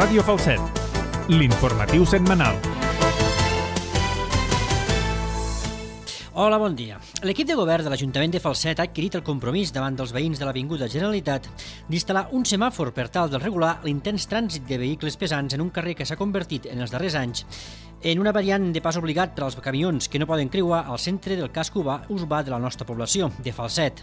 Ràdio Falset, l'informatiu setmanal. Hola, bon dia. L'equip de govern de l'Ajuntament de Falset ha adquirit el compromís davant dels veïns de l'Avinguda Generalitat d'instal·lar un semàfor per tal de regular l'intens trànsit de vehicles pesants en un carrer que s'ha convertit en els darrers anys en una variant de pas obligat per als camions que no poden creuar al centre del casc urbà de la nostra població, de Falset.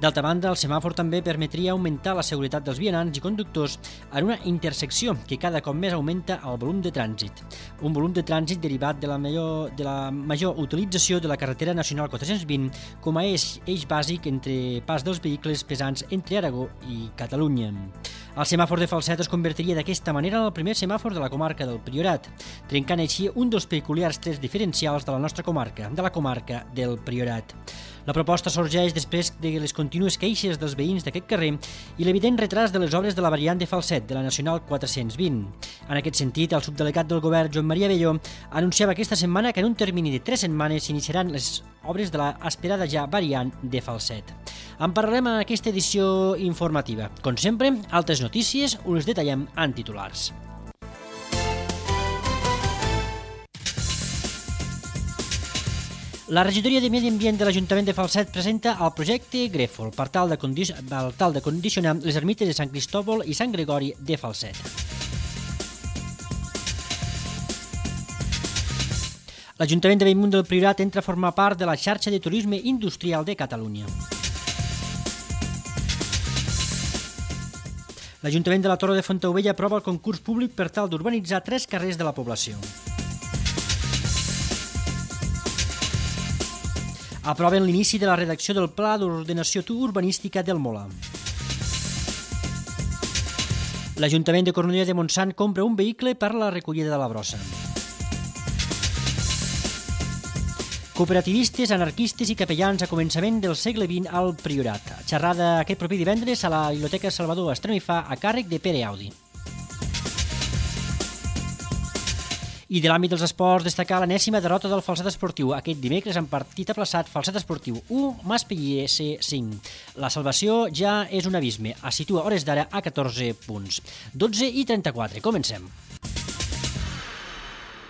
D'altra banda, el semàfor també permetria augmentar la seguretat dels vianants i conductors en una intersecció que cada cop més augmenta el volum de trànsit. Un volum de trànsit derivat de la major utilització de la carretera nacional 420 com a eix bàsic entre pas dels vehicles pesants entre Aragó i Catalunya. El semàfor de Falset es convertiria d'aquesta manera en el primer semàfor de la comarca del Priorat, trencant així un dels peculiars trets diferencials de la nostra comarca, de la comarca del Priorat. La proposta sorgeix després de les contínues queixes dels veïns d'aquest carrer i l'evident retras de les obres de la variant de Falset, de la Nacional 420. En aquest sentit, el subdelegat del govern, Joan Maria Belló, anunciava aquesta setmana que en un termini de 3 setmanes s'iniciaran les obres de la esperada ja variant de Falset. En parlarem en aquesta edició informativa. Com sempre, altres notícies us les detallem en titulars. La regidoria de Medi Ambient de l'Ajuntament de Falset presenta el projecte Grèfol per tal de condicionar les ermites de Sant Cristòfol i Sant Gregori de Falset. L'Ajuntament de Bellmunt del Priorat entra a formar part de la xarxa de turisme industrial de Catalunya. L'Ajuntament de la Torre de Fontaubella aprova el concurs públic per tal d'urbanitzar 3 carrers de la població. Aproven l'inici de la redacció del Pla d'Ordenació Urbanística del Mola. L'Ajuntament de Cornellà de Montsant compra un vehicle per a la recollida de la brossa. Cooperativistes, anarquistes i capellans a començament del segle XX al Priorat. Xerrada aquest proper divendres a la Biblioteca Salvador Estranifà a càrrec de Pere Audi. I de l'àmbit dels esports, destacar l'enèsima derrota del Falset Esportiu aquest dimecres en partit aplaçat Falset Esportiu 1, Maspellers 5. La salvació ja és un abisme, es situa a hores d'ara a 14 punts. 12:34, comencem.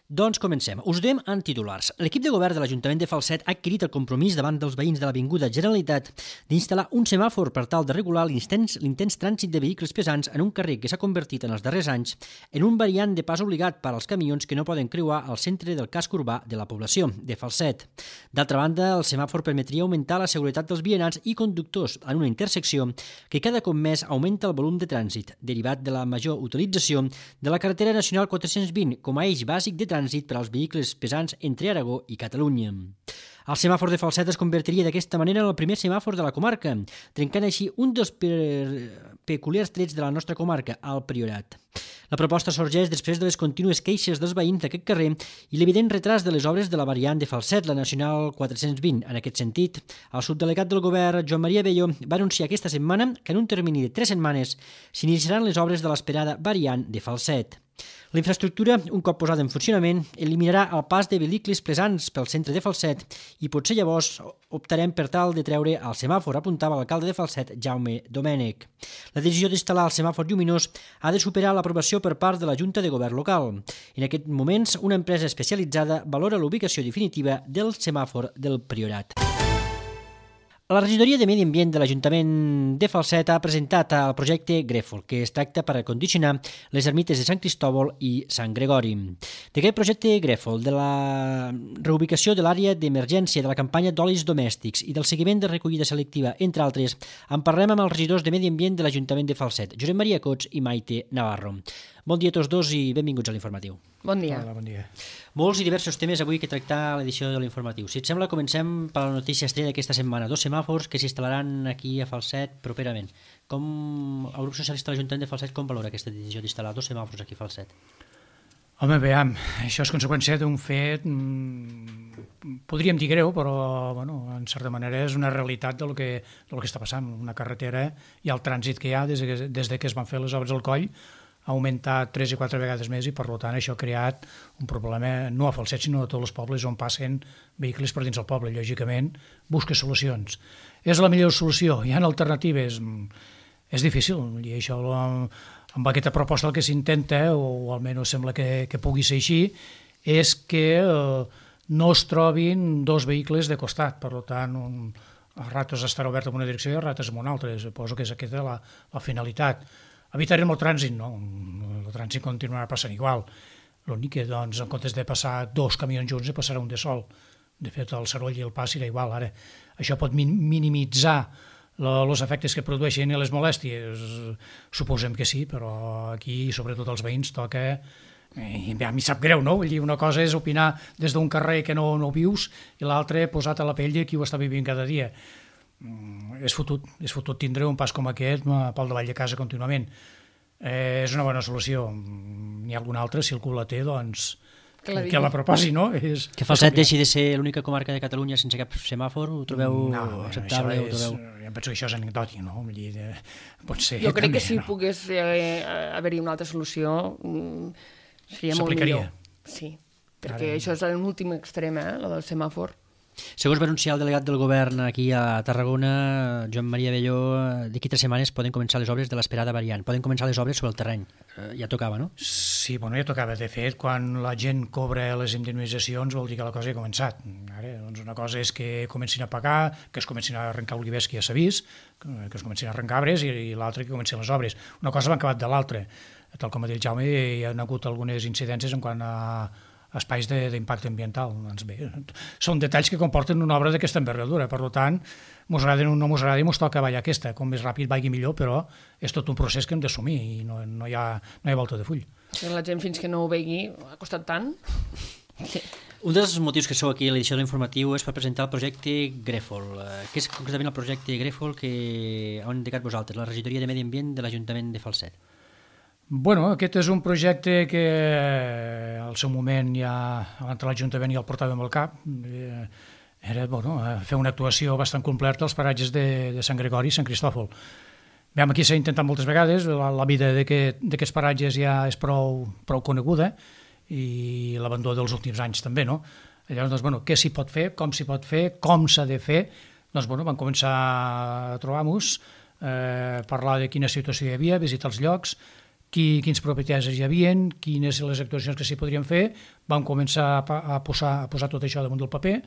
Doncs comencem. Us donem en titulars. L'equip de govern de l'Ajuntament de Falset ha adquirit el compromís davant dels veïns de l'Avinguda Generalitat d'instal·lar un semàfor per tal de regular l'intens trànsit de vehicles pesants en un carrer que s'ha convertit en els darrers anys en un variant de pas obligat per als camions que no poden creuar al centre del casc urbà de la població, de Falset. D'altra banda, el semàfor permetria augmentar la seguretat dels vianants i conductors en una intersecció que cada cop més augmenta el volum de trànsit, derivat de la major utilització de la carretera nacional 420 com a eix bàsic de trànsit per als vehicles pesants entre Aragó i Catalunya. El semàfor de Falset es convertiria d'aquesta manera en el primer semàfor de la comarca, trencant així un dels peculiars trets de la nostra comarca, el Priorat. La proposta sorgeix després de les contínues queixes dels veïns d'aquest carrer i l'evident retras de les obres de la variant de Falset, la Nacional 420. En aquest sentit, el subdelegat del govern, Joan Maria Belló, va anunciar aquesta setmana que en un termini de 3 setmanes s'iniciaran les obres de l'esperada variant de Falset. La infraestructura, un cop posada en funcionament, eliminarà el pas de vehicles pesants pel centre de Falset i potser llavors optarem per tal de treure el semàfor, apuntava l'alcalde de Falset, Jaume Domènech. La decisió d'instal·lar el semàfor lluminós ha de superar l'aprovació per part de la Junta de Govern local. En aquests moments, una empresa especialitzada valora la ubicació definitiva del semàfor del Priorat. La regidoria de Medi Ambient de l'Ajuntament de Falset ha presentat el projecte Grèfol, que es tracta per acondicionar les ermites de Sant Cristòfol i Sant Gregori. D'aquest projecte Grèfol, de la reubicació de l'àrea d'emergència, de la campanya d'olis domèstics i del seguiment de recollida selectiva, entre altres, en parlem amb els regidors de Medi Ambient de l'Ajuntament de Falset, Josep Maria Cots i Maite Navarro. Bon dia a tots dos i benvinguts a l'informatiu. Bon dia. Hola, bon dia. Molts i diversos temes avui que tractar a l'edició de l'informatiu. Si et sembla, comencem per la notícia estrella d'aquesta setmana. 2 semàfors que s'instal·laran aquí a Falset properament. Com el grup socialista de l'Ajuntament de Falset com valora aquesta decisió d'instal·lar 2 semàfors aquí a Falset? Home, veiem, això és conseqüència d'un fet, podríem dir greu, però bueno, en certa manera és una realitat del que està passant. Una carretera i el trànsit que hi ha des que es van fer les obres al coll ha augmentat 3 i 4 vegades més i per tant això ha creat un problema no a Falset sinó a tots els pobles on passen vehicles per dins del poble. Lògicament busca solucions. És la millor solució? Hi ha alternatives? És difícil i això amb aquesta proposta el que s'intenta, o almenys sembla que pugui ser així, és que no es trobin dos vehicles de costat, per tant, a ratos estarà obert en una direcció i a ratos en una altra. Suposo que és aquesta la finalitat. Evitarem el trànsit? No, el trànsit continuarà passant igual. L'únic que, doncs, en comptes de passar dos camions junts, passarà un de sol. De fet, el soroll i el pas serà igual. Ara, això pot minimitzar els efectes que produeixen i les molèsties? Suposem que sí, però aquí, sobretot els veïns, toca... a mi sap greu, no? Vull dir, una cosa és opinar des d'un carrer que no vius i l'altra posat a la pell de qui ho està vivint cada dia. És fotut tindre un pas com aquest pel davall de casa contínuament. És una bona solució. N'hi ha alguna altra, si algú la té, doncs que la proposi, no? Que Falset deixi de ser l'única comarca de Catalunya sense cap semàfor, ho trobeu acceptable? Jo penso que això és anecdòtic, no? Pot ser... Jo crec que si pogués haver-hi una altra solució seria molt millor. Sí, perquè això és l'últim extrem, la del semàfor. Segons va anunciar el delegat del govern aquí a Tarragona, Joan Maria Belló, d'aquí 3 setmanes poden començar les obres de l'esperada variant. Poden començar les obres sobre el terreny. Ja tocava, no? Sí, ja tocava. De fet, quan la gent cobra les indemnitzacions vol dir que la cosa ja ha començat. Ara, doncs una cosa és que comencin a pagar, que es comencin a arrencar olivers que ja s'ha vist, que es comencin a arrencar arbres i l'altra que comencin les obres. Una cosa va acabat de l'altra. Tal com ha dit Jaume, hi ha hagut algunes incidències en quant a espais d'impacte ambiental. Doncs bé, són detalls que comporten una obra d'aquesta envergadura. Per tant, mos agrada o no mos agrada, mos toca ballar aquesta. Com més ràpid vagi millor, però és tot un procés que hem d'assumir i no hi ha volta de full. La gent fins que no ho vegi ha costat tant. Sí. Un dels motius que sou aquí a l'edició de l'informatiu és per presentar el projecte Grèfol. Què és concretament el projecte Grèfol que heu indicat vosaltres, la regidoria de Medi Ambient de l'Ajuntament de Falset? Bueno, aquest és un projecte que al seu moment ja l'entre l'Ajuntament ja el portàvem al cap. Era fer una actuació bastant completa als paratges de Sant Gregori i Sant Cristòfol. Aquí s'ha intentat moltes vegades, la vida d'aquests paratges ja és prou coneguda i l'abandó dels últims anys també, no? Llavors, què s'hi pot fer, com s'hi pot fer, com s'ha de fer? Doncs, vam començar a trobar-nos, parlar de quina situació hi havia, visitar els llocs, quins propietaris hi havia, quines les actuacions que s'hi podrien fer, vam començar a posar tot això damunt del paper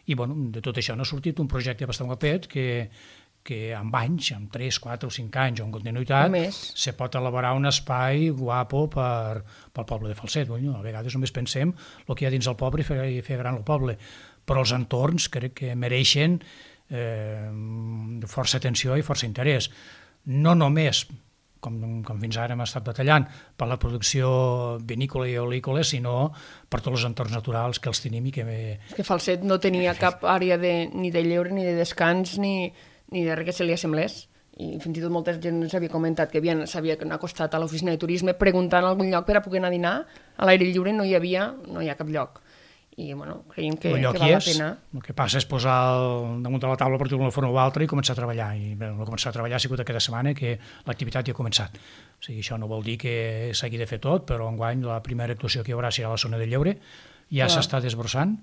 i de tot això n'ha sortit un projecte bastant guapet que amb anys, amb 3, 4 o 5 anys o en continuïtat, se pot elaborar un espai guapo pel poble de Falset. A vegades només pensem el que hi ha dins el poble i fer gran el poble, però els entorns crec que mereixen força atenció i força interès. No només com fins ara hem estat batallant per la producció vinícola i oleícola, sinó per tots els entorns naturals que els tenim i que... És que Falset no tenia cap àrea ni de lleure, ni de descans, ni de res que se li assemblés. I fins i tot molta gent ens havia comentat que s'havien acostat a l'oficina de turisme preguntant algun lloc per a poder anar a dinar. A l'aire lliure no hi ha cap lloc. I creiem que val la pena. El que passa és posar damunt de la taula per d'una forma o altra i començar a treballar. I començar a treballar ha sigut aquesta setmana que l'activitat ja ha començat. O sigui, això no vol dir que s'hagi de fer tot, però enguany la primera actuació que hi haurà serà a la zona de lleure. Ja s'està desbrossant.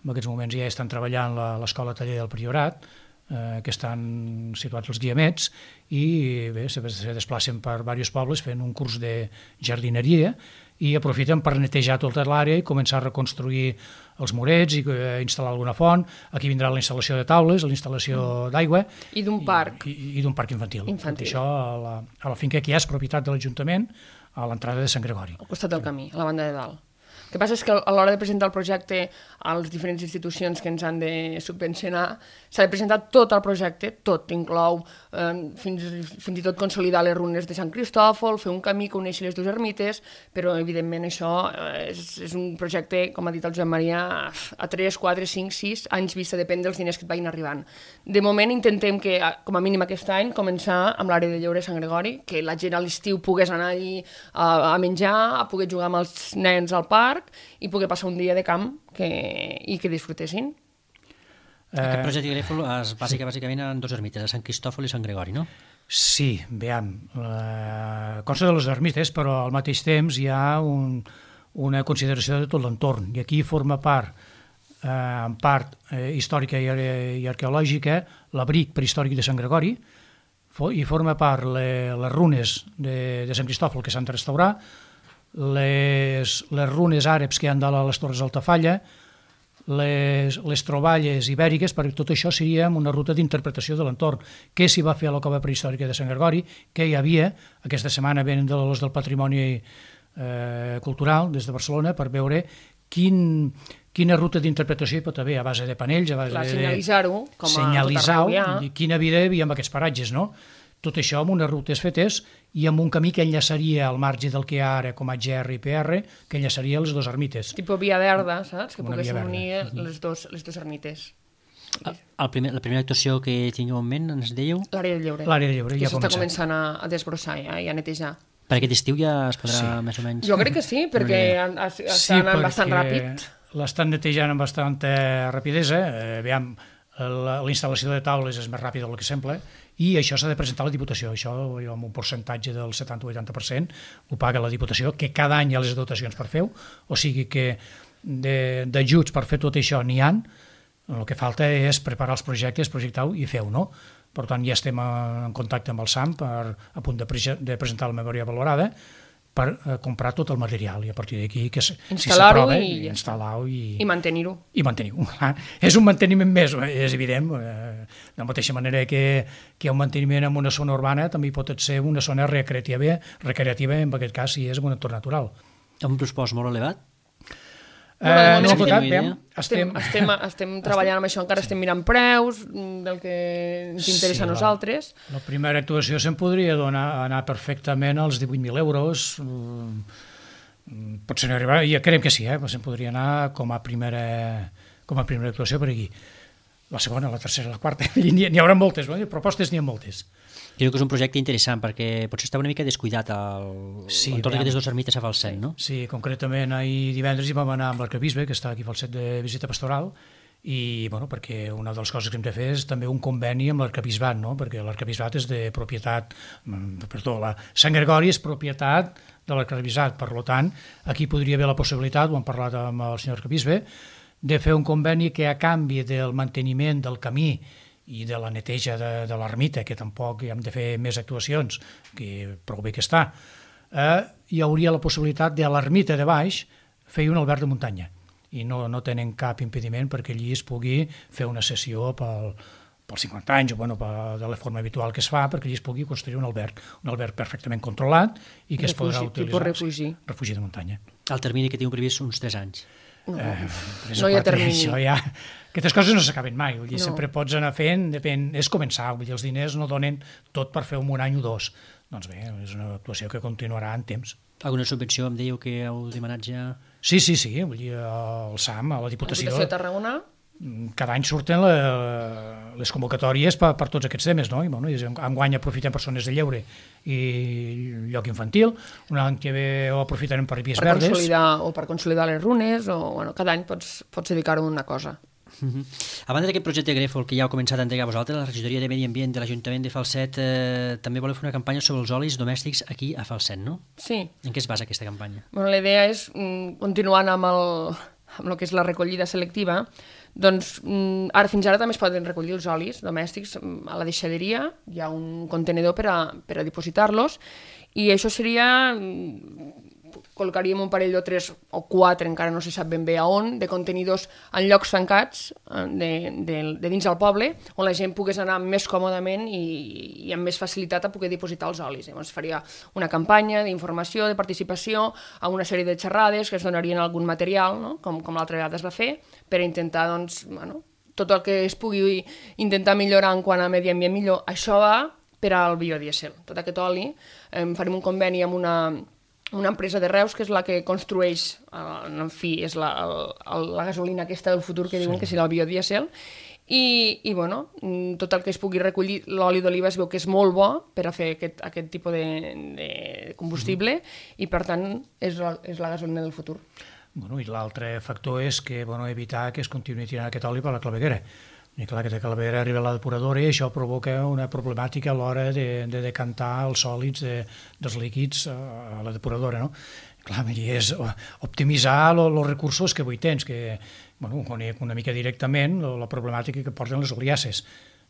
En aquests moments ja estan treballant l'escola taller del Priorat, que estan situats als Guiamets, i bé, se desplacen per diversos pobles fent un curs de jardineria i aprofiten per netejar tota l'àrea i començar a reconstruir els murets i instal·lar alguna font. Aquí vindrà la instal·lació de taules, la instal·lació d'aigua i d'un parc. I d'un parc infantil. Això a la finca que ja és propietat de l'Ajuntament, a l'entrada de Sant Gregori. Al costat del camí, a la banda de dalt. El que passa és que a l'hora de presentar el projecte a les diferents institucions que ens han de subvencionar, s'ha de presentar tot el projecte, tot, inclou fins i tot consolidar les runes de Sant Cristòfol, fer un camí que uneixi les dues ermites, però evidentment això és un projecte, com ha dit el Joan Maria, a 3, 4, 5, 6 anys vista, depèn dels diners que et vagin arribant. De moment intentem que, com a mínim aquest any, començar amb l'àrea de lleure de Sant Gregori, que la gent a l'estiu pogués anar allí a menjar, a poder jugar amb els nens al parc, i poder passar un dia de camp i que disfrutessin. Aquest projecte Grèfol es basa bàsicament en dues ermites, a Sant Cristòfol i Sant Gregori, no? Sí, consta de les ermites, però al mateix temps hi ha una consideració de tot l'entorn, i aquí forma part, en part històrica i arqueològica, l'abric prehistòric de Sant Gregori, i forma part les runes de Sant Cristòfol que s'han de restaurar, les runes àrabs que hi ha dalt a les Torres d'Altafalla, les troballes ibèriques, perquè tot això seria una ruta d'interpretació de l'entorn. Què s'hi va fer a la cova prehistòrica de Sant Gregori, què hi havia, aquesta setmana venen dels del Patrimoni Cultural des de Barcelona per veure quina ruta d'interpretació hi pot haver a base de panells, a base de senyalitzar-ho, com a senyalitzar tot arreu, quina vida hi havia en aquests paratges, no? Tot això amb unes rutes fetes i amb un camí que enllaçaria al marge del que hi ha ara com a GR i PR, que enllaçaria les dues ermites. Tipo via verda, saps? Que Una poguessin via verda. unir les dues ermites. La primera actuació que tingueu en ment, ens dèieu? L'àrea de lleure. L'àrea de lleure que ja ha s'està començat. començant a desbrossar i a netejar. Per aquest estiu ja es podrà més o menys... Jo crec que sí, perquè està anant bastant ràpid. L'estan netejant amb bastanta rapidesa. Aviam, la instal·lació de taules és més ràpida del que sembla i això s'ha de presentar a la Diputació. Això amb un percentatge del 70-80% ho paga la Diputació, que cada any hi ha les dotacions per fer-ho, o sigui que d'ajuts per fer tot això n'hi ha. El que falta és preparar els projectes, projectar-ho i fer-ho, no? Per tant, ja estem en contacte amb el SAM a punt de presentar la memòria valorada per comprar tot el material i a partir d'aquí que si instal·lar-ho s'aprova, i instal·lar-ho i mantenir-ho. I mantenir-ho. És un manteniment més, és evident. De la mateixa manera que hi ha un manteniment en una zona urbana, també hi pot ser una zona recreativa, en aquest cas, si és en un entorn natural. Un pressupost molt elevat? No ho tocat, estem treballant amb això, encara estem mirant preus del que ens interessa a nosaltres. La primera actuació se'n podria anar perfectament als 18.000 euros, potser no arribarà, ja creiem que sí, però se'n podria anar com a primera actuació per aquí. La segona, la tercera, la quarta, n'hi haurà moltes, propostes n'hi ha moltes. Crec que és un projecte interessant perquè potser estava una mica descuidat entorn d'aquestes dues ermites a Falset, no? Sí, concretament ahir divendres hi vam anar amb l'arquebisbe, que està aquí a Falset de visita pastoral, i perquè una de les coses que hem de fer és també un conveni amb l'arquebisbat, no? Perquè l'arquebisbat és de propietat, Sant Gregori és propietat de l'arquebisbat, per tant, aquí podria haver la possibilitat, ho hem parlat amb el senyor arquebisbe, de fer un conveni que a canvi del manteniment del camí i de la neteja de l'ermita, que tampoc hi hem de fer més actuacions, que prou bé que està, hi hauria la possibilitat de l'ermita de baix fer un alberg de muntanya. I no tenen cap impediment perquè allí es pugui fer una sessió pels 50 anys, o de la forma habitual que es fa, perquè allí es pugui construir un alberg perfectament controlat i que es podrà utilitzar. Refugi de muntanya. El termini que tinc previst uns 3 anys. No hi ha termini. Aquestes coses no s'acaben mai, vull dir, sempre pots anar fent, és començar, vull dir, els diners no donen tot per fer un any o dos. Doncs bé, és una actuació que continuarà en temps. Alguna subvenció em dèieu que heu demanat ja? Sí, vull dir, el SAM, a la Diputació... La Diputació de Tarragona? Cada any surten les convocatòries per tots aquests temes, no? I enguany aprofitem per zones de lleure i lloc infantil, un any que ve ho aprofitarem per vies verdes. Per consolidar les runes, cada any pots dedicar-ho a una cosa. A banda d'aquest projecte Grèfol que ja heu començat a entregar a vosaltres, la Regidoria de Medi Ambient de l'Ajuntament de Falset també voleu fer una campanya sobre els olis domèstics aquí a Falset, no? Sí. En què es basa aquesta campanya? La idea és, continuant amb el que és la recollida selectiva, doncs ara fins ara també es poden recollir els olis domèstics a la deixaderia, hi ha un contenidor per a dipositar-los, i això seria... col·locaríem un parell o 3 o 4, encara no se sap ben bé a on, de contenidors en llocs tancats de dins del poble, on la gent pogués anar més còmodament i amb més facilitat a poder dipositar els olis. Llavors faria una campanya d'informació, de participació, amb una sèrie de xerrades que es donarien algun material, no? com l'altra vegada es va fer, per intentar, tot el que es pugui intentar millorar en quant a medi ambient millor. Això va per al biodiesel. Tot aquest oli, farem un conveni amb una empresa de Reus que és la que construeix, en fi, és la gasolina aquesta del futur que diuen que serà el biodiesel, i tot el que es pugui recollir, l'oli d'oliva es veu que és molt bo per a fer aquest tipus de combustible i per tant és la gasolina del futur. I l'altre factor és que evitar que es continuï tirant aquest oli per la claveguera. I clar, aquesta claveguera arriba a la depuradora i això provoca una problemàtica a l'hora de decantar els sòlids dels líquids a la depuradora, no? Clar, és optimitzar els recursos que avui tens, que conec una mica directament la problemàtica que porten les oliasses.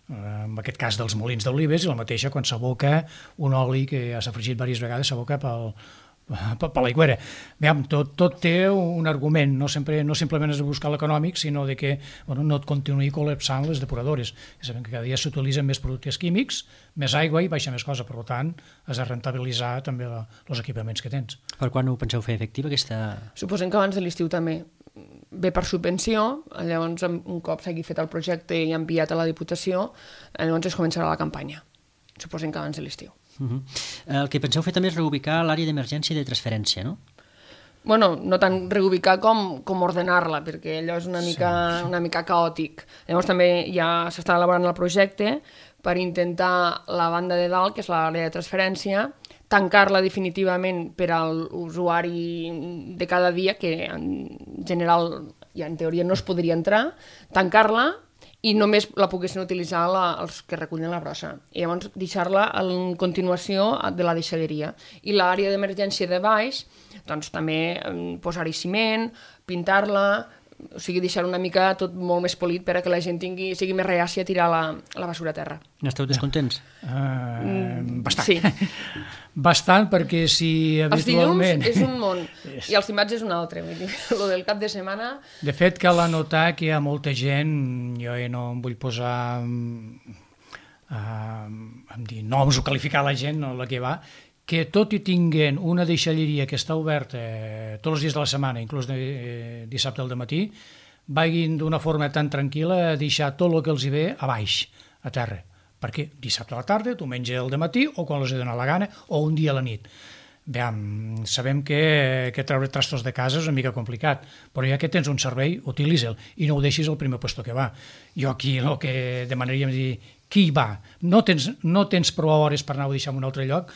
en aquest cas dels molins d'olives, i la mateixa quan s'aboca un oli que ja s'ha fregit diverses vegades, s'aboca per l'aigüera. Tot té un argument, no simplement és de buscar l'econòmic, sinó de que no et continuï col·lapsant les depuradores. Sabem que cada dia s'utilitzen més productes químics, més aigua i baixa més cosa, per tant, has de rentabilitzar també els equipaments que tens. Per quan ho penseu fer efectiva, aquesta...? Suposem que abans de l'estiu també. Ve per subvenció, llavors un cop s'hagi fet el projecte i enviat a la Diputació, llavors es començarà la campanya. Suposem que abans de l'estiu. El que penseu fer també és reubicar l'àrea d'emergència i de transferència, no? Bueno, no tant reubicar com ordenar-la, perquè allò és una mica caòtic. Llavors també ja s'està elaborant el projecte per intentar la banda de dalt, que és l'àrea de transferència, tancar-la definitivament per a l'usuari de cada dia, que en general ja en teoria no es podria entrar, tancar-la i només la poguessin utilitzar els que recullen la brossa. I llavors deixar-la en continuació de la deixalleria. I l'àrea d'emergència de baix, doncs també posar-hi ciment, pintar-la, o sigui, deixar una mica tot molt més polit per a que la gent sigui més reàcia a tirar la basura a terra. N'esteu descontents? Bastant. Sí. Bastant, perquè si habitualment... Els dilluns és un món i els dimarts és un altre. Vull dir, lo del cap de setmana... De fet, cal anotar que hi ha molta gent, jo no em vull posar dir noms o qualificar la gent, no, la que va, que tot i tinguent una deixalleria que està oberta tots els dies de la setmana, inclús dissabte al matí, vagin d'una forma tan tranquil·la a deixar tot el que els hi ve a baix, a terra. Perquè dissabte a la tarda, diumenge al matí, o quan els hi dona la gana, o un dia a la nit. Sabem que treure trastos de casa és una mica complicat, però ja que tens un servei, utilitza'l i no ho deixis al primer puesto que va. Jo aquí el que demanaríem és dir, qui hi va? No tens prou hores per anar a deixar en un altre lloc,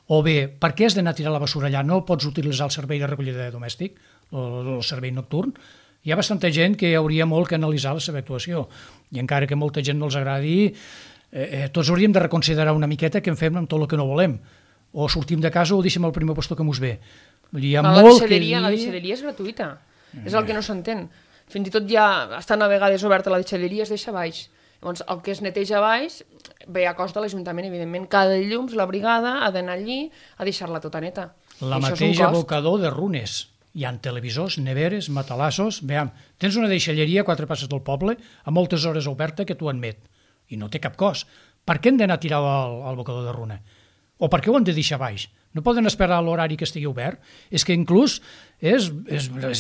o bé, per què has d'anar a tirar la basura allà? No pots utilitzar el servei de recollida domèstic, el servei nocturn? Hi ha bastanta gent que hauria molt que analitzar la seva actuació, i encara que molta gent no els agradi, tots hauríem de reconsiderar una miqueta què en fem amb tot el que no volem. O sortim de casa o deixem el primer puesto que mos ve. La deixalleria és gratuïta, és el que no s'entén. Fins i tot ja estan a vegades oberta la deixalleria, es deixa baix. Llavors, el que es neteja baix ve a cost de l'Ajuntament, evidentment. Cada dilluns la brigada ha d'anar allí a deixar-la tota neta. La mateixa abocador de Runes. Hi ha televisors, neveres, matalassos... Tens una deixalleria a 4 passes del poble a moltes hores oberta que t'ho admet. I no té cap cost. Per què hem d'anar a tirar al abocador de Runa? O per què ho hem de deixar baix? No poden esperar l'horari que estigui obert? És que inclús és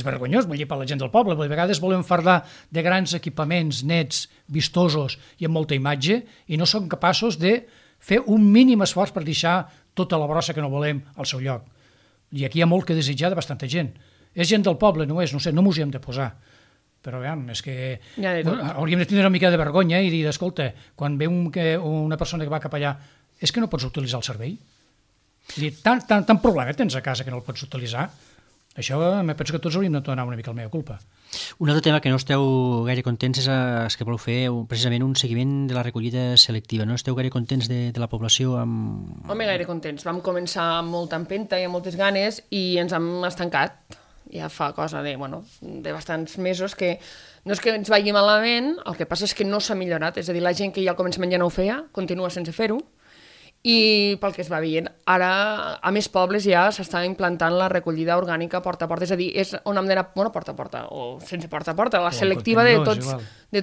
vergonyós, vull dir, per la gent del poble. A vegades volem fardar de grans equipaments nets, vistosos i amb molta imatge i no som capaços de fer un mínim esforç per deixar tota la brossa que no volem al seu lloc. I aquí hi ha molt que desitjar de bastanta gent. És gent del poble, no és, no sé, no m'ho hi hem de posar. Però és que hauríem de tindre una mica de vergonya i dir, escolta, quan ve una persona que va cap allà, és que no pots utilitzar el servei? Tant problema tens a casa que no el pots utilitzar. Això me penso que tots hauríem de donar una mica la meva culpa. Un altre tema que no esteu gaire contents és que voleu fer precisament un seguiment de la recollida selectiva. No esteu gaire contents de la població? Home, gaire contents. Vam començar amb molta empenta i amb moltes ganes i ens hem estancat. Ja fa cosa de bastants mesos que no és que ens vagi malament, el que passa és que no s'ha millorat. És a dir, la gent que ja al començament ja no ho feia, continua sense fer-ho. I pel que es va veient, ara a més pobles ja s'està implantant la recollida orgànica porta a porta, és a dir, és on hem d'anar, porta a porta, o sense porta a porta, la selectiva de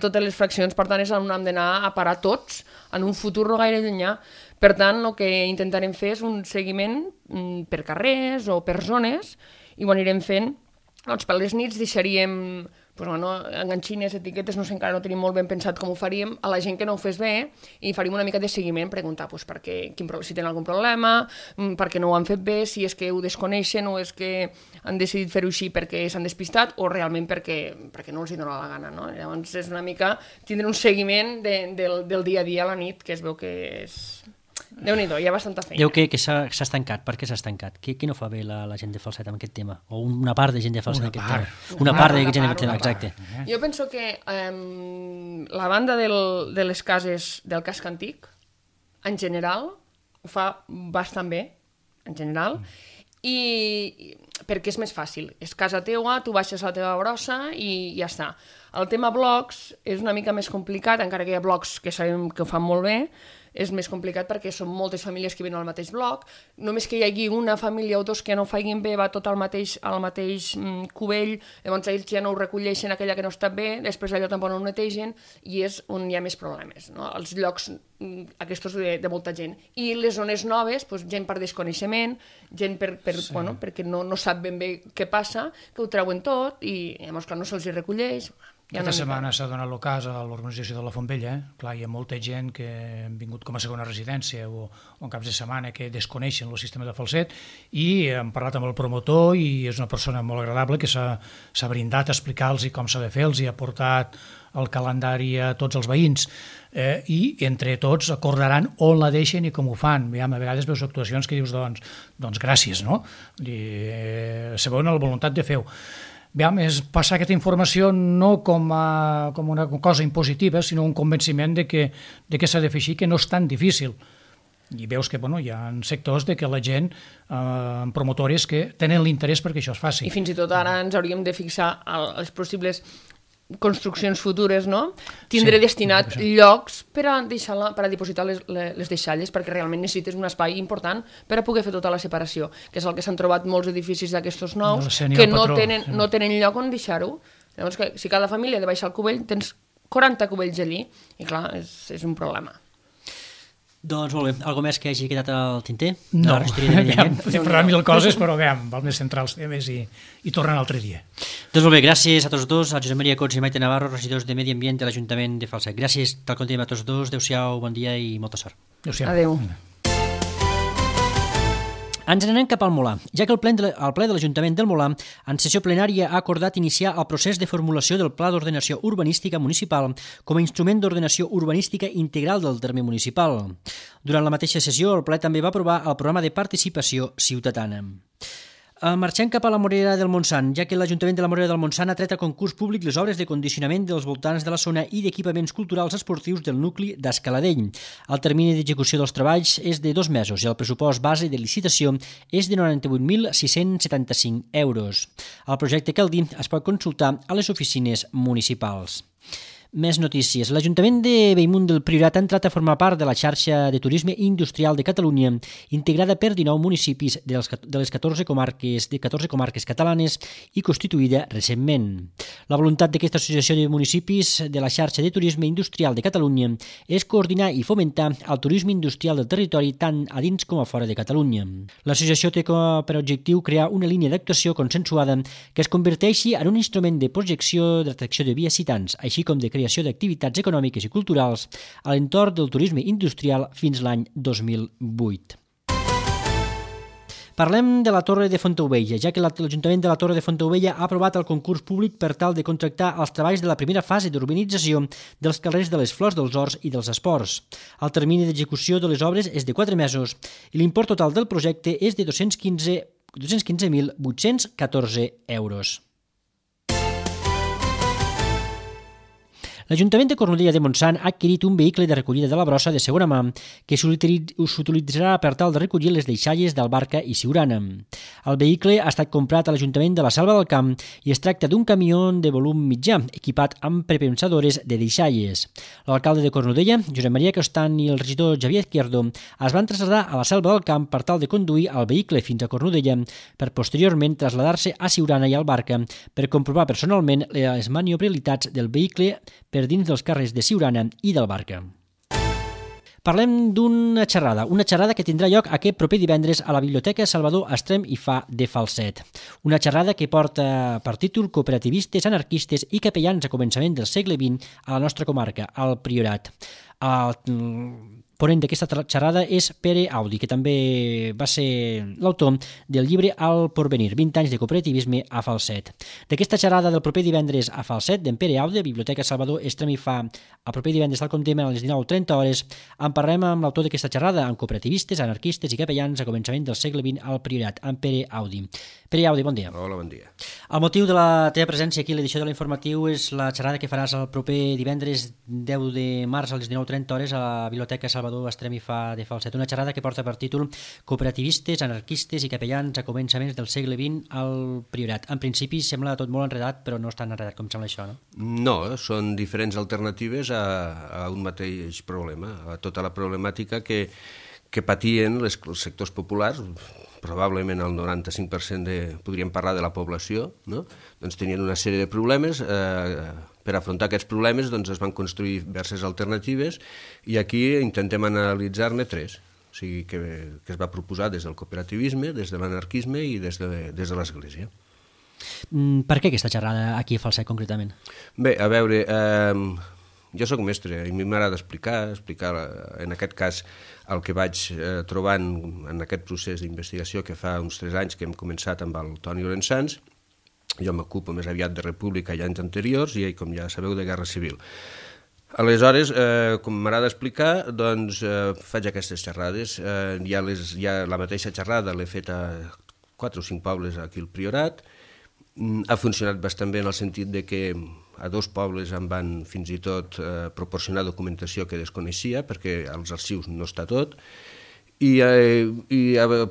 totes les fraccions, per tant és on hem d'anar a parar tots en un futur no gaire llunyà. Per tant, el que intentarem fer és un seguiment per carrers o per zones, i ho anirem fent, doncs per les nits deixaríem enganxines, etiquetes, no sé, encara no tenim molt ben pensat com ho faríem, a la gent que no ho fes bé, i faríem una mica de seguiment, preguntar si tenen algun problema, per què no ho han fet bé, si és que ho desconeixen o és que han decidit fer-ho així perquè s'han despistat o realment perquè no els hi dona la gana, no? Llavors és una mica tindre un seguiment del dia a dia a la nit, que es veu que és... Déu-n'hi-do, hi ha bastanta feina. Diu que s'ha estancat. Per què s'ha estancat? Qui no fa bé la gent de Falset amb aquest tema? O una part de gent de Falset amb aquest tema? Una part de gent de aquest tema, exacte. Jo penso que la banda de les cases del casc antic, en general, ho fa bastant bé, en general, i perquè és més fàcil. És casa teua, tu baixes la teva brossa i ja està. El tema blocs és una mica més complicat, encara que hi ha blocs que sabem que ho fan molt bé, és més complicat perquè són moltes famílies que venen al mateix bloc, només que hi hagi una família o dos que no ho facin bé, va tot al mateix cubell, llavors ells ja no ho recolleixen aquella que no està bé, després allò tampoc no ho netegen i és on hi ha més problemes, no? Els llocs aquests de molta gent. I les zones noves, doncs, gent per desconeixement, gent perquè no sap ben bé què passa, que ho treuen tot i llavors clar, no se'ls recolleix. Aquesta setmana s'ha donat el cas a l'organització de la Font Vella. Clar, hi ha molta gent que han vingut com a segona residència o en caps de setmana que desconeixen el sistema de falset i hem parlat amb el promotor i és una persona molt agradable que s'ha brindat a explicar-los com s'ha de fer, els ha portat el calendari a tots els veïns i entre tots acordaran on la deixen i com ho fan. A vegades veus actuacions que dius doncs gràcies, no? Se veuen la voluntat de fer-ho. És passar aquesta informació no com una cosa impositiva, sinó un convenciment de que s'ha de fer així, que no és tan difícil. I veus que hi ha sectors de que la gent, promotores, que tenen l'interès perquè això es faci. I fins i tot ara ens hauríem de fixar els possibles construccions futures, no? Tindré destinat llocs per a dipositar les deixalles, perquè realment necessites un espai important per a poder fer tota la separació, que és el que s'han trobat molts edificis d'aquestos nous, que no tenen lloc on deixar-ho. Llavors, si cada família ha de baixar el cubell, tens 40 cubells allí, i clar, és un problema. Doncs molt bé, alguna més que hagi quedat al tinter? No, podem parlar mil coses, però val més centrar els temes i tornar un altre dia. Doncs molt bé, gràcies a tots dos, a Josep Maria Cots i Maite Navarro, regidors de Medi Ambient de l'Ajuntament de Falset. Gràcies, tal com diem a tots dos, adéu-siau, bon dia i molta sort. Adéu-siau. Adéu. Ens n'anem cap al Molar, ja que el ple de l'Ajuntament del Molar, en sessió plenària, ha acordat iniciar el procés de formulació del Pla d'Ordenació Urbanística Municipal com a instrument d'ordenació urbanística integral del terme municipal. Durant la mateixa sessió, el ple també va aprovar el programa de participació ciutadana. Marxem cap a la Morera del Montsant, ja que l'Ajuntament de la Morera del Montsant ha tret a concurs públic les obres de condicionament dels voltants de la zona i d'equipaments culturals esportius del nucli d'Escaladell. El termini d'execució dels treballs és de 2 mesos i el pressupost base de licitació és de 98.675 euros. El projecte Caldí es pot consultar a les oficines municipals. Més notícies. L'Ajuntament de Bellmunt del Priorat ha entrat a formar part de la xarxa de turisme industrial de Catalunya, integrada per 19 municipis de les 14 comarques catalanes i constituïda recentment. La voluntat d'aquesta associació de municipis de la xarxa de turisme industrial de Catalunya és coordinar i fomentar el turisme industrial del territori tant a dins com a fora de Catalunya. L'associació té per objectiu crear una línia d'actuació consensuada que es converteixi en un instrument de projecció d'atracció de visitants, així com de creació d'activitats econòmiques i culturals a l'entorn del turisme industrial fins l'any 2008. Parlem de la Torre de Fontaubella, ja que l'Ajuntament de la Torre de Fontaubella ha aprovat el concurs públic per tal de contractar els treballs de la primera fase d'urbanització dels carrers de les Flors dels Horts i dels Esports. El termini d'execució de les obres és de 4 mesos i l'import total del projecte és de 215.814 euros. L'Ajuntament de Cornudella de Montsant ha adquirit un vehicle de recollida de la brossa de segona mà que s'utilitzarà per tal de recollir les deixalles d'Albarca i Siurana. El vehicle ha estat comprat a l'Ajuntament de la Selva del Camp i es tracta d'un camió de volum mitjà, equipat amb prepensadores de deixalles. L'alcalde de Cornudella, Josep Maria Costan, i el regidor Javier Izquierdo es van traslladar a la Selva del Camp per tal de conduir el vehicle fins a Cornudella per posteriorment traslladar-se a Siurana i Albarca per comprovar personalment les maniobrabilitats del vehicle per dins dels carrers de Siurana i del Barca. Parlem d'una xerrada que tindrà lloc aquest proper divendres a la Biblioteca Salvador Estrem i Fa de Falset. Una xerrada que porta per títol Cooperativistes, anarquistes i capellans a començament del segle XX a la nostra comarca, al Priorat. El ponent d'aquesta xerrada és Pere Audi, que també va ser l'autor del llibre El Porvenir, 20 anys de cooperativisme a Falset. D'aquesta xerrada del proper divendres a Falset, d'en Pere Audi, Biblioteca Salvador Estrem i Fa, el proper divendres, tal com dèiem, a les 19:30 hores, en parlem amb l'autor d'aquesta xerrada, amb cooperativistes, anarquistes i capellans a començament del segle XX al Priorat, en Pere Audi. Pere Audi, bon dia. Hola, bon dia. El motiu de la teva presència aquí a l'edició de l'informatiu és la xerrada que faràs el proper divendres 10 de març a les 19:30 hores a la Biblioteca Salvador Salvador Estremi fa de Falset, una xerrada que porta per títol Cooperativistes, anarquistes i capellans a començaments del segle XX al Priorat. En principi sembla tot molt enredat, però no és tan enredat com sembla això, no? No, són diferents alternatives a un mateix problema, a tota la problemàtica que patien els sectors populars, probablement el 95% podríem parlar de la població, no? Doncs tenien una sèrie de problemes. Per afrontar aquests problemes doncs, es van construir diverses alternatives i aquí intentem analitzar-ne 3. O sigui, que es va proposar des del cooperativisme, des de l'anarquisme i des de l'Església. Per què aquesta xerrada aquí a Falset concretament? Bé, a veure, jo sóc mestre i a mi m'agrada explicar en aquest cas el que vaig trobant en aquest procés d'investigació que fa uns 3 anys que hem començat amb el Toni Orensans. Jo m'ocupo més aviat de República i anys anteriors i ell, com ja sabeu, de Guerra Civil. Aleshores, com m'agrada explicar, doncs faig aquestes xerrades. Ja la mateixa xerrada l'he fet a 4 o 5 pobles aquí al Priorat. Ha funcionat bastant bé en el sentit de que a 2 pobles em van fins i tot proporcionar documentació que desconeixia, perquè als arxius no està tot, i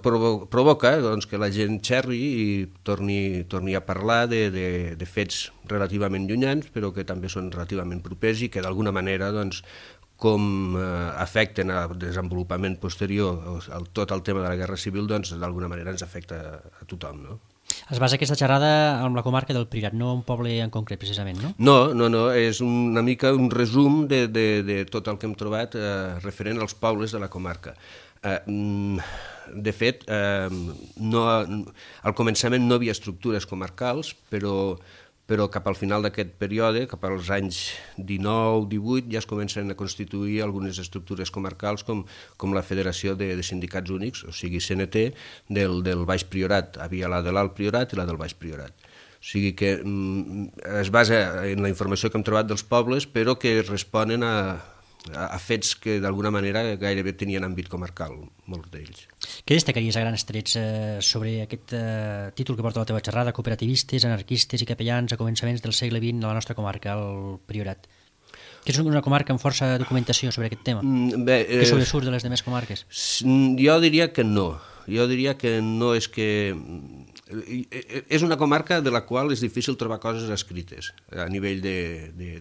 provoca doncs, que la gent xerri i torni a parlar de fets relativament llunyans, però que també són relativament propers i que d'alguna manera doncs, com afecten al desenvolupament posterior tot el tema de la Guerra Civil, doncs d'alguna manera ens afecta a tothom, no? Es basa aquesta xerrada en la comarca del Priorat, no un poble en concret, precisament, no? No, és una mica un resum de tot el que hem trobat referent als pobles de la comarca. De fet, al començament no hi havia estructures comarcals, però cap al final d'aquest període, cap als anys 19-18, ja es comencen a constituir algunes estructures comarcals com la Federació de Sindicats Únics, o sigui CNT, del Baix Priorat. Havia la de l'Alt Priorat i la del Baix Priorat. O sigui que es basa en la informació que hem trobat dels pobles, però que responen a fets que d'alguna manera gairebé tenien àmbit comarcal, molts d'ells. Què destacaries a grans trets sobre aquest títol que porta la teva xerrada, Cooperativistes, anarquistes i capellans a començaments del segle XX a la nostra comarca, el Priorat? Que és una comarca amb força documentació sobre aquest tema, que sobresurt de les demés comarques. Jo diria que no. Jo diria que no és que... És una comarca de la qual és difícil trobar coses escrites a nivell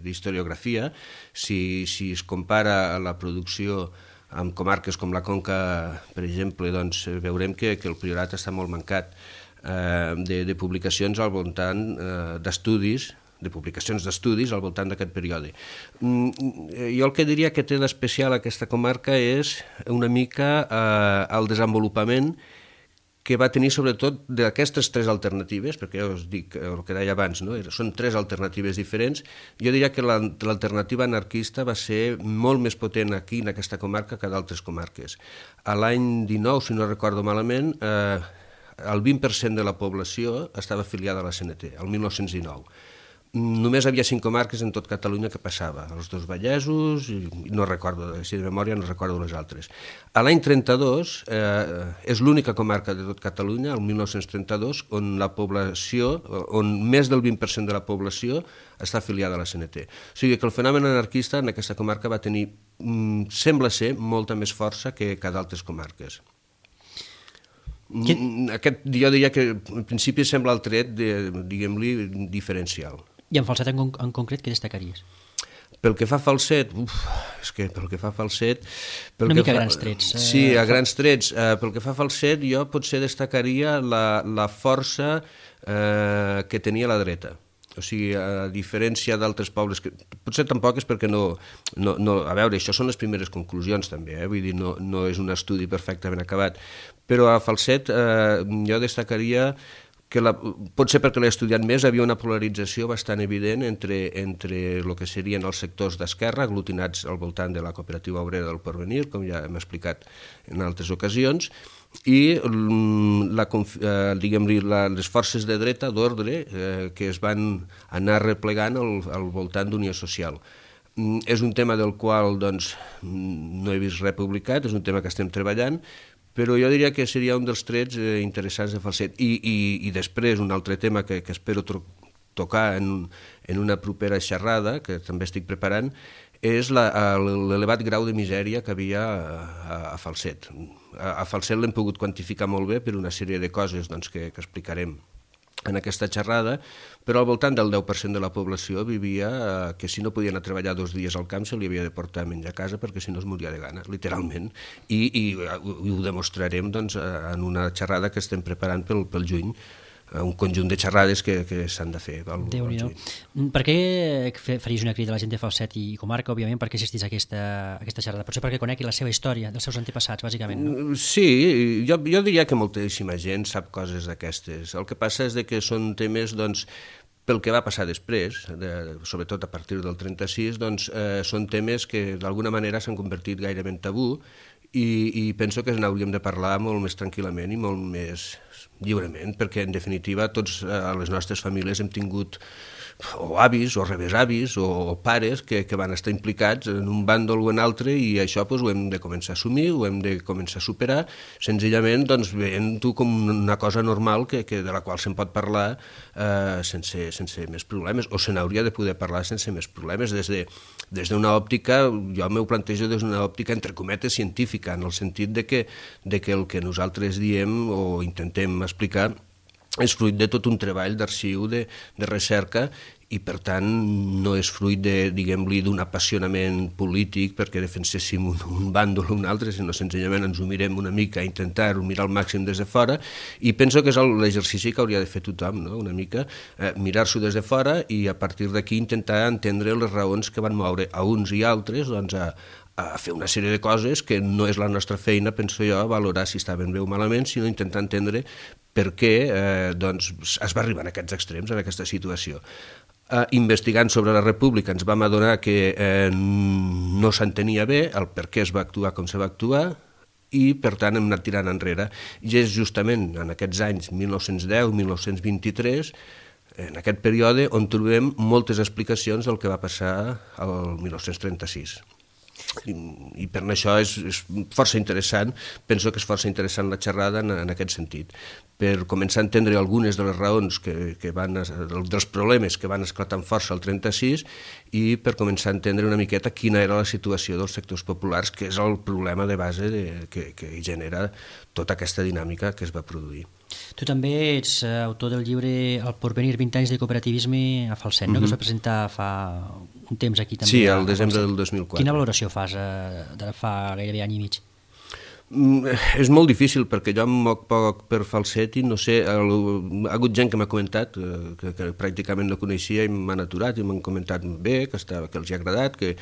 d'historiografia. Si es compara la producció amb comarques com la Conca, per exemple, doncs veurem que el Priorat està molt mancat de publicacions al voltant d'estudis, de publicacions d'estudis al voltant d'aquest període. Jo el que diria que té d'especial aquesta comarca és una mica el desenvolupament que va tenir sobretot d'aquestes 3 alternatives, perquè ja us dic el que deia abans, no? Són 3 alternatives diferents. Jo diria que l'alternativa anarquista va ser molt més potent aquí en aquesta comarca que d'altres comarques. A l'any 19, si no recordo malament, el 20% de la població estava afiliada a la CNT, el 1919. Només havia 5 comarques en tot Catalunya que passava, els 2 Vallesos, i no recordo, si de memòria no recordo les altres. A l'any 32 és l'única comarca de tot Catalunya, el 1932, on la població, on més del 20% de la població està afiliada a la CNT. O sigui que el fenomen anarquista en aquesta comarca va tenir, sembla ser, molta més força que d'altres comarques. Jo diria que en principi sembla el tret, diguem-li, diferencial. I en Falset en concret, què destacaries? Pel que fa a Falset, és que pel que fa a Falset... Una mica a grans trets. Sí, a grans trets. Pel que fa a Falset, jo potser destacaria la força que tenia la dreta. O sigui, a diferència d'altres pobles, que potser tampoc és perquè no... A veure, això són les primeres conclusions també, vull dir, no és un estudi perfectament acabat, però a Falset jo destacaria que potser perquè l'he estudiat més, havia una polarització bastant evident entre el que serien els sectors d'esquerra, aglutinats al voltant de la cooperativa obrera del Porvenir, com ja hem explicat en altres ocasions, i les forces de dreta, d'ordre, que es van anar replegant al voltant d'Unió Social. És un tema del qual doncs, no he vist res publicat, és un tema que estem treballant, però jo diria que seria un dels trets interessants de Falset. I després, un altre tema que espero tocar en una propera xerrada, que també estic preparant, és l'elevat grau de misèria que havia a Falset. A Falset l'hem pogut quantificar molt bé per una sèrie de coses doncs, que explicarem en aquesta xerrada, però al voltant del 10% de la població vivia que si no podia anar a treballar 2 dies al camp se li havia de portar a menjar a casa perquè si no es moria de gana, literalment. I ho demostrarem doncs, en una xerrada que estem preparant pel juny, un conjunt de xerrades que s'han de fer. Déu-n'hi-do. Per què faries una crida a la gent de Falset i comarca, òbviament, perquè assistís a aquesta xerrada? Potser perquè conegui la seva història, dels seus antepassats, bàsicament, no? Sí, jo diria que moltíssima gent sap coses d'aquestes. El que passa és que són temes, doncs, pel que va passar després, sobretot a partir del 36, doncs, són temes que d'alguna manera s'han convertit gairebé en tabú i penso que n'hauríem de parlar molt més tranquil·lament i molt més lliurement, perquè en definitiva tots a les nostres famílies hem tingut o avis o rebesavis o pares que van estar implicats en un bàndol o en altre i això doncs, ho hem de començar a assumir, ho hem de començar a superar, senzillament doncs, veient-ho com una cosa normal de la qual se'n pot parlar sense més problemes, o se n'hauria de poder parlar sense més problemes, des d'una òptica, jo m'ho plantejo des d'una òptica entre cometes científica, en el sentit de que el que nosaltres diem o intentem explicar és fruit de tot un treball d'arxiu, de recerca, i per tant no és fruit diguem-li, d'un apassionament polític perquè defenséssim un bàndol o un altre, sinó senzillament ens ho mirem una mica, intentar-ho mirar al màxim des de fora, i penso que és l'exercici que hauria de fer tothom, no? Una mica mirar-s'ho des de fora i a partir d'aquí intentar entendre les raons que van moure a uns i altres doncs, a fer una sèrie de coses que no és la nostra feina, penso jo, a valorar si estaven bé o malament, sinó intentar entendre per què doncs, es va arribar a aquests extrems, en aquesta situació. Investigant sobre la República ens vam adonar que no s'entenia bé el per què es va actuar com se va actuar i per tant hem anat tirant enrere. I és justament en aquests anys 1910-1923, en aquest període, on trobem moltes explicacions del que va passar al 1936. I per això és força interessant, penso que és força interessant la xerrada en aquest sentit, per començar a entendre algunes de les raons dels problemes que van esclatar amb força al 36 i per començar a entendre una miqueta quina era la situació dels sectors populars, que és el problema de base que genera tota aquesta dinàmica que es va produir. Tu també ets autor del llibre El porvenir, 20 anys de cooperativisme a Falset, no? Que es va presentar fa un temps aquí també. Sí, al desembre del 2004. Quina valoració fas de fa gairebé any i mig? És molt difícil perquè jo em moc poc per Falset i no sé, ha hagut gent que m'ha comentat que pràcticament no coneixia i m'han aturat i m'han comentat bé, que els ha agradat, que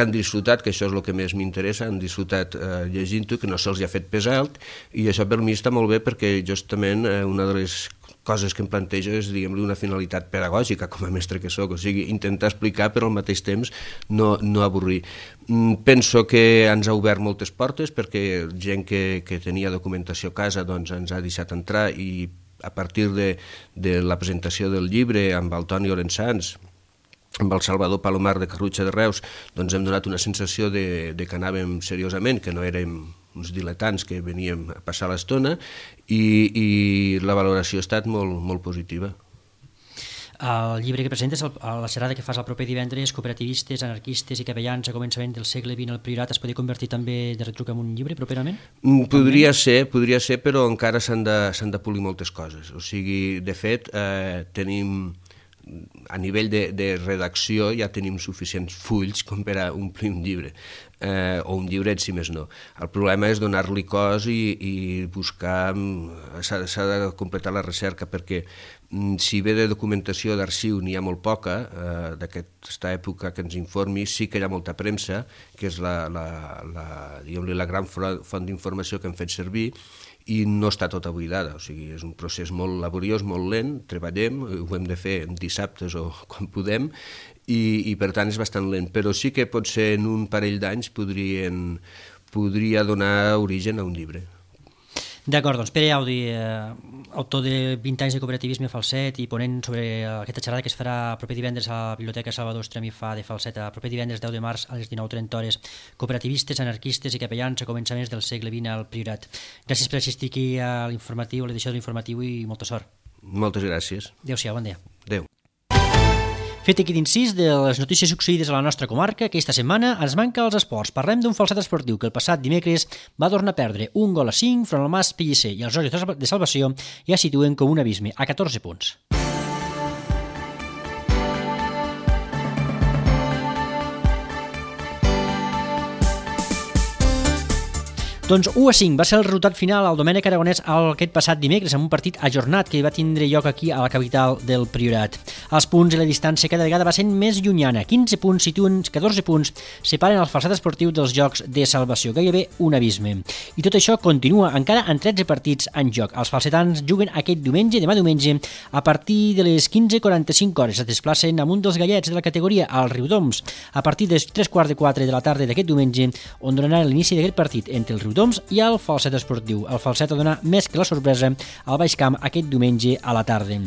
han disfrutat, que això és el que més m'interessa, han disfrutat llegint-ho, que no se'ls ha fet pes alt, i això per mi està molt bé perquè justament una de les coses que em plantejo és, diguem-li, una finalitat pedagògica com a mestre que soc, o sigui, intentar explicar però al mateix temps no avorrir. Penso que ens ha obert moltes portes perquè gent que tenia documentació a casa doncs ens ha deixat entrar i a partir de la presentació del llibre amb el Toni Orensans, amb el Salvador Palomar de Carrutxa de Reus, doncs hem donat una sensació de que anàvem seriosament, que no érem uns diletants que veníem a passar l'estona i la valoració ha estat molt, molt positiva. El llibre que presentes, la xerrada que fas el proper divendres, Cooperativistes, anarquistes i capellans a començament del segle XX al Priorat, es podria convertir també de retruc en un llibre properament? Podria ser, però encara s'han de polir moltes coses. O sigui, de fet, tenim a nivell de redacció ja tenim suficients fulls com per a omplir un llibre, o un llibret si més no. El problema és donar-li cos i buscar, s'ha de completar la recerca perquè si bé de documentació d'arxiu n'hi ha molt poca, d'aquesta època que ens informi, sí que hi ha molta premsa, que és la gran font d'informació que hem fet servir, i no està tota buidada, o sigui, és un procés molt laboriós, molt lent, treballem, ho hem de fer dissabtes o quan podem, i per tant és bastant lent, però sí que potser en un parell d'anys podria donar origen a un llibre. D'acord, doncs Pere Audi, autor de 20 anys de cooperativisme a Falset i ponent sobre aquesta xerrada que es farà el proper divendres a la Biblioteca Salvador Estremifà de Falset, el proper divendres 10 de març a les 19:30, cooperativistes, anarquistes i capellans a començaments del segle XX al Priorat. Gràcies per assistir aquí a l'informatiu, a l'edició de l'informatiu i molta sort. Moltes gràcies. Adéu-siau, bon dia. Adéu. Fet aquí d'incís de les notícies succeïdes a la nostra comarca, aquesta setmana ens manca els esports. Parlem d'un Falset esportiu que el passat dimecres va tornar a perdre 1-5 front al Mas Pellicer i els Jocs de Salvació ja situen com un abisme a 14 punts. Doncs 1-5 va ser el resultat final al Domènec Aragonès aquest passat dimecres, amb un partit ajornat que va tindre lloc aquí a la capital del Priorat. Els punts i la distància cada vegada va sent més llunyana. 15 punts situen, 14 punts separen el Falset esportiu dels Jocs de Salvació, gairebé un abisme. I tot això continua encara en 13 partits en joc. Els falsetans juguen aquest diumenge, demà diumenge, a partir de les 15:45 hores. Es desplacen amunt dels gallets de la categoria al Riudoms, a partir de 3:15 de la tarda d'aquest diumenge, on donaran l'inici d'aquest partit entre el Riudoms i el Falset esportiu. El Falset ha donat més que la sorpresa al Baix Camp aquest diumenge a la tarda.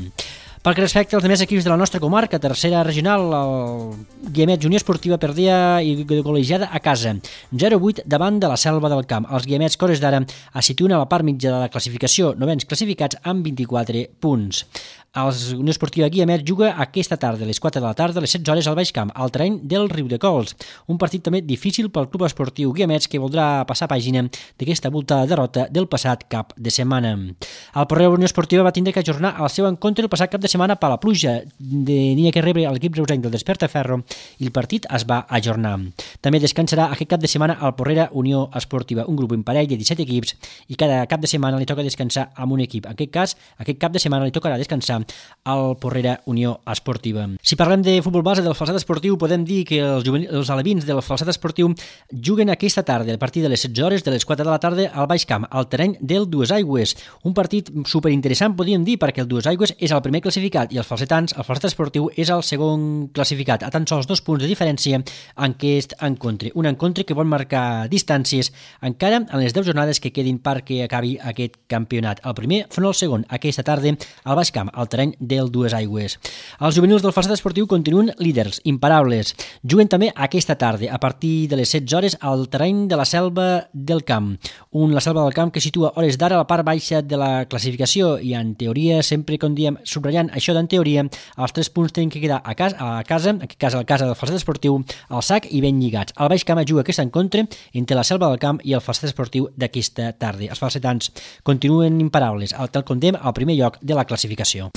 Pel que respecta als demés equips de la nostra comarca, tercera regional, el Guiamets Unió Esportiva perdia i golejada a casa, 0-8 davant de la Selva del Camp. Els Guiamets Cores d'Ara es situen a la part mitja de la classificació, novens classificats amb 24 punts. El Unió Esportiva Guiamets juga aquesta tarda, a les 4 de la tarda, a les 16 hores al Baix Camp, al terreny del Riudecols. Un partit també difícil pel Club Esportiu Guiamets, que voldrà passar pàgina d'aquesta voltada derrota del passat cap de setmana. El Porrera Unió Esportiva va tindre que ajornar el seu encontre el passat cap de setmana per la pluja de que rebre l'equip reusenc del Despertaferro i el partit es va ajornar. També descansarà aquest cap de setmana el Porrera Unió Esportiva, un grup imparell de 17 equips, i cada cap de setmana li toca descansar amb un equip. En aquest cas, aquest cap de setmana li tocarà descansar al Porrera Unió Esportiva. Si parlem de futbol base del Falset esportiu, podem dir que els alevins del Falset esportiu juguen aquesta tarda, a partir de les 16 hores, de les 4 de la tarda, al Baix Camp, al terreny del Dues Aigües. Un partit superinteressant, podríem dir, perquè el Dues Aigües és el primer classificat i els falsetans, el Falset esportiu, és el segon classificat, a tan sols 2 punts de diferència en aquest encontre. Un encontre que vol marcar distàncies encara en les 10 jornades que quedin perquè acabi aquest campionat. El primer front al segon, aquesta tarda, al Baix Camp, al terreny del Dues Aigües. Els juvenils del Falset esportiu continuen líders, imparables. Juguen també aquesta tarda, a partir de les 16 hores, al terreny de la Selva del Camp. La Selva del Camp que situa hores d'ara a la part baixa de la classificació i, en teoria, sempre com diem, subratllant això d'en teoria, els 3 punts tenen que quedar a casa, en aquest cas a la casa del Falset esportiu, al sac i ben lligats. El Baix Camp juga aquest encontre entre la Selva del Camp i el Falset esportiu d'aquesta tarda. Els falsetans continuen imparables, tal com dèiem, al primer lloc de la classificació.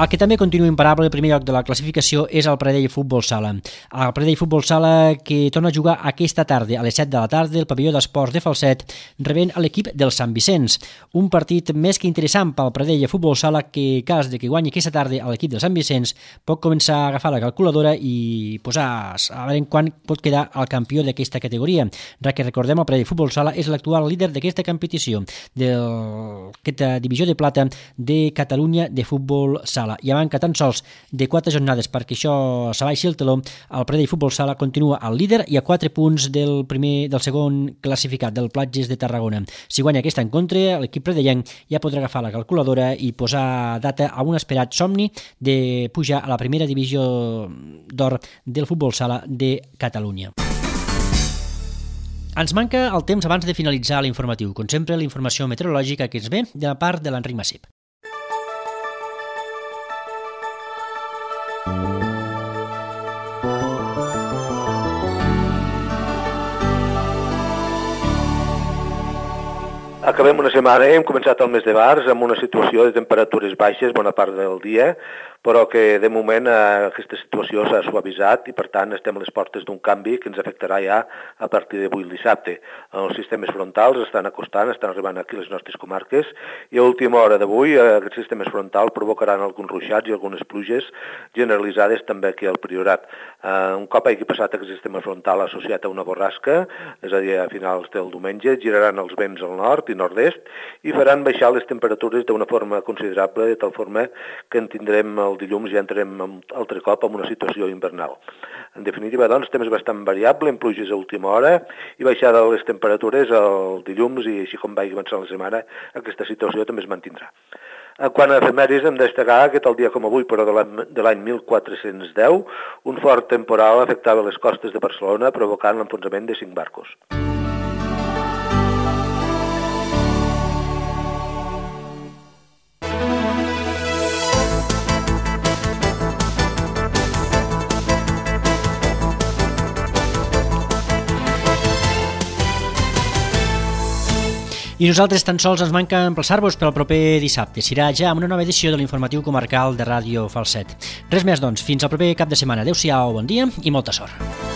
El que també continua imparable al primer lloc de la classificació és el Pradell Futbol Sala. El Pradell Futbol Sala que torna a jugar aquesta tarda, a les 7 de la tarda, al pavelló d'esports de Falset, rebent l'equip del Sant Vicenç. Un partit més que interessant pel Pradell Futbol Sala que, cas de que guanyi aquesta tarda a l'equip del Sant Vicenç, pot començar a agafar la calculadora i posar a veure quan pot quedar el campió d'aquesta categoria. Que recordem, el Pradell Futbol Sala és l'actual líder d'aquesta competició, d'aquesta divisió de plata de Catalunya de Futbol Sala. I a manca tan sols de 4 jornades perquè això s'abaixi el teló, el Pradell Futbol Sala continua al líder i a 4 punts del segon classificat, del Platges de Tarragona. Si guanya aquest encontre, l'equip pradellenc ja podrà agafar la calculadora i posar data a un esperat somni de pujar a la primera divisió d'or del Futbol Sala de Catalunya. Ens manca el temps abans de finalitzar l'informatiu. Com sempre, la informació meteorològica que ens ve de la part de l'Enric Massip. Acabem una setmana, hem començat el mes de març amb una situació de temperatures baixes bona part del dia, però que de moment aquesta situació s'ha suavitzat i per tant estem a les portes d'un canvi que ens afectarà ja a partir d'avui el dissabte. Els sistemes frontals estan acostant, estan arribant aquí a les nostres comarques i a última hora d'avui aquests sistemes frontals provocaran alguns ruixats i algunes pluges generalitzades també aquí al Priorat. Un cop hagi passat aquest sistema frontal associat a una borrasca, és a dir, a finals del diumenge, giraran els vents al nord i nord-est i faran baixar les temperatures d'una forma considerable, de tal forma que en tindrem el dilluns ja entrem altre cop en una situació invernal. En definitiva, doncs, temps bastant variable, amb pluges a última hora i baixada de les temperatures el dilluns i així com vagi avançant la setmana, aquesta situació també es mantindrà. Quant a efemèrides, hem de destacar que tal dia com avui, però de l'any 1410, un fort temporal afectava les costes de Barcelona, provocant l'enfonsament de 5 barcos. I nosaltres tan sols ens manca emplaçar-vos per al proper dissabte. Serà ja amb una nova edició de l'informatiu comarcal de Ràdio Falset. Res més, doncs. Fins al proper cap de setmana. Adéu-siau, bon dia i molta sort.